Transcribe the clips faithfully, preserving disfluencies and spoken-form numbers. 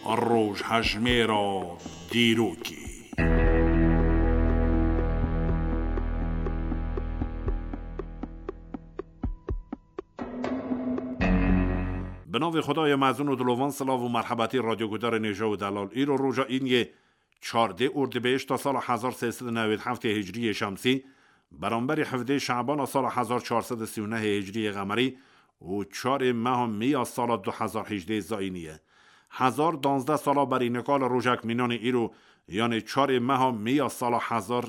Rojhejmêra dîrokê. Bi navê Xwedayê mezin û dilovan, silav û merhebetî radyogudarên hêja û delal. Îro roja îniyê çardê Ordibêhişta sala hezar sê sed û newêd heftê hicriyê şemsî, beramberî hevdê Şebana sala hezar çar sed û sî û nehê hicriyê qemerî û çarê meha Mîya sala du hezar hejdê zayînî ye. Hezar danzdeh sala berî nika li rojek mînanê îro, yanê çarê meha Mîya sala hezar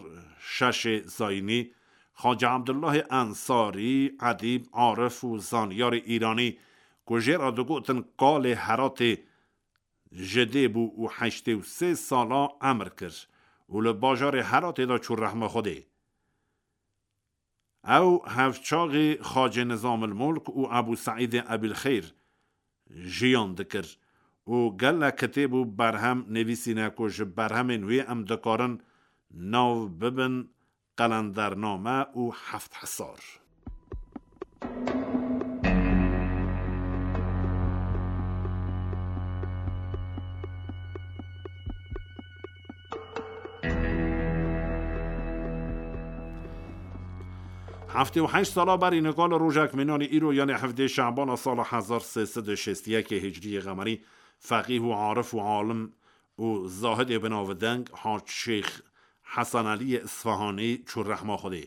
şeşê zayînî, Xacî Ebdullahê Ensarî, edîb, arif û zanyarê îranî, ku jê re digotin Kalê Heratê, ji dê bû û heştê û sê sala emir kir û li bajarê Heratê de çû rehma Xwedê. Ew hevçaxî Xacê Nizamil Mulk û Ebû Seîdê Ebîl Xeyr jiyan dikir û gelek kitêb û berhem nivîsîne ku ji berhemên wî em dikarin nav bibin Qelendername û Heft Hisar. Heftê û heşt sala berî nika li rojek mînanî îro, yanê hevdê Şebana sala hezar sê sed û şêst û yekê hicriyê qemerî, feqîh û arif û alim û zahidê binavdeng Hac Şêx Hesan Eliyê Isfahanî çû rehma Xwedê.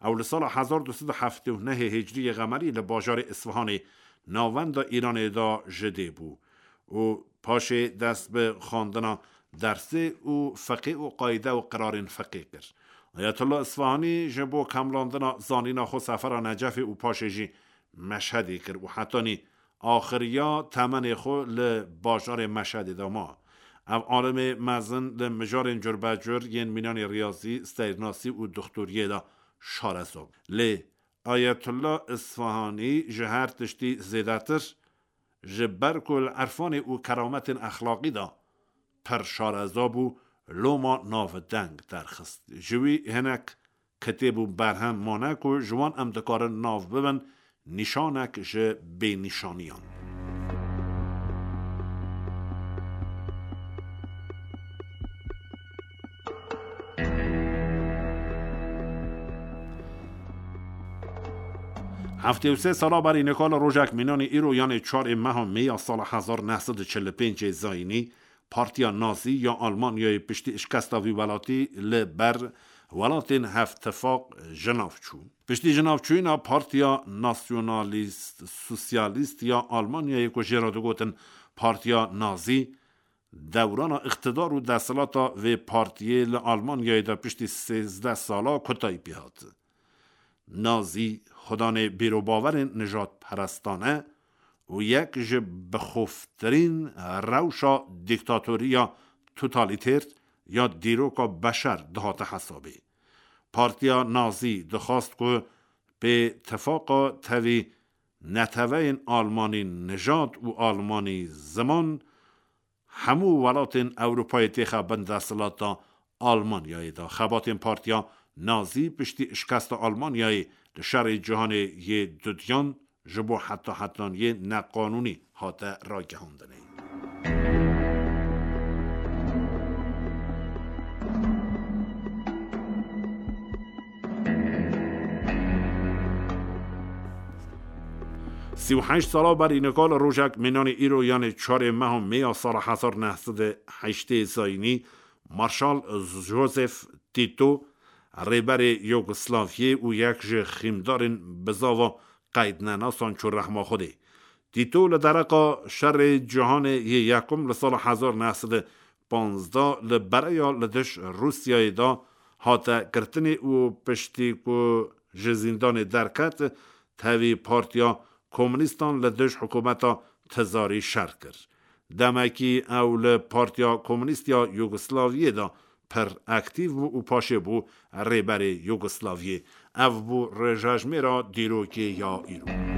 Ew li sala hezar du sed û heftê û nehê hicriyê qemerî li bajarê Isfahanê, navenda Îranê de ji dê bû û paşê dest bi xwendina dersê û fiqê û qayde û qirarên fiqê kir. Ayetullah Isfahanî ji bo kemlandina zanîna xwe sefera Necefê û paşê jî Meşhedê kir û hetanî axiriya temenê xwe li bajarê Meşhedê de ma. Ev alimê mezin li mijarên curbecur yên mînanê riyazî, seyrnasî û dixtoriyê de şareza bû. Lê Ayetullah Isfahanî ji her tiştî zêdetir, ji ber ku li erfanê û kerametên exlaqî de pir şareza bû, loma navdeng derxist. Ji wî hinek kitêb û berhem mane ku ji wan em dikarin nav bibin nîşanek ji bênîşaniyan. Heftê û sê sala berî nika li rojek mînanî îro, yanê çarê meha Mê ya sala hezar neh sed û çil û pêncê zayînî, Partiya Nazî ya Almanyayê piştî şikesta vî welatî li ber welatên Hevtifaq ji nav çû. Piştî ji nav çûyîna Partiya Nasyonalîst Sosyalîst ya Almanyayê, ku jê re digotin Partiya Nazî, dewrana îqtidar û desthilata vê partiyê li Almanyayê de piştî sêzdeh sala kotayî pê hat. Nazî xwedanê bîrobawerên nijadperestane û yek ji bixoftirîn rewşa dîktatoriya totalîter ya dîroka beşer dihate hesabê. Partiya Nazî dixwast ku pê tifaqa tevî neteweyên Almanî nijad û Almanî ziman hemû welatên Ewropayê têxe bin desthilata Almanyayê de. Xebatên Partiya Nazî piştî şikesta Almanyayê li şerê cîhanê yê dudiyan ji bo heta hetaniyê neqanûnî hate ragihandinê. Sî û heşt sala berî nika li rojek mînanî îro, yanê çarê meha Mê ya sala hezar neh sed û heştê zayînî, Marşal Joseph Tito, rêberê Yugoslaviyê û yek ji xîmdarên bizava qeydnenasan çû rehma Xwedê. Tito li dereqa şerê cîhanê yê yekum li sala hezar neh sed û panzdeh li bereya li dij Rûsyayê de hate girtinê û piştî ku ji zîndanê derket, tevî Partiya Komunîstan li dij hikûmeta Tizarî şer kir. Demekî ew li Partiya Komunîst ya Yugoslaviyê de pir aktîf bû û paşê bû rêberê Yugoslaviyê. Ev bû rêjejmêra dîrokê ya îro.